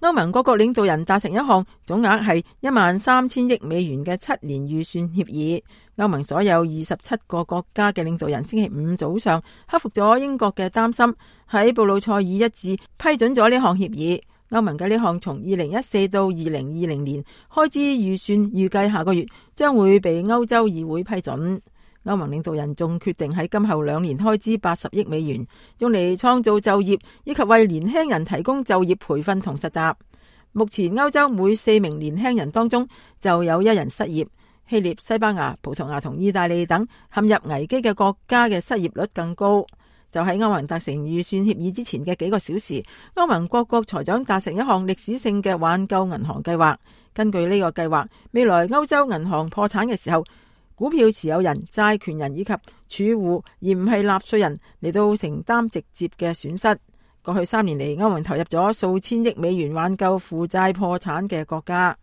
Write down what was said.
歐盟各國領導人達成一項總額係13000億美元嘅7年預算協議。歐盟所有27個國家嘅領導人星期五早上克服咗英國嘅擔心，喺布魯塞爾一致批准咗呢項協議。歐盟嘅呢項從2014到2020年開支預算預計下個月將會被歐洲議會批准。歐盟領導人仲決定喺今後2年開支80億美元，用嚟創造就業以及為年輕人提供就業培訓同實習。目前歐洲每4名年輕人當中就有1人失業。希臘、西班牙、葡萄牙同意大利等陷入危機嘅國家嘅失業率更高。就喺歐盟達成預算協議之前嘅幾個小時，歐盟各國財長達成一項歷史性嘅挽救銀行計劃。根據呢個計劃，未來歐洲銀行破產嘅時候，股票持有人、債權人以及儲戶，而唔係納稅人嚟到承擔直接嘅損失。過去3年嚟，歐盟投入咗數千億美元挽救負債破產嘅國家。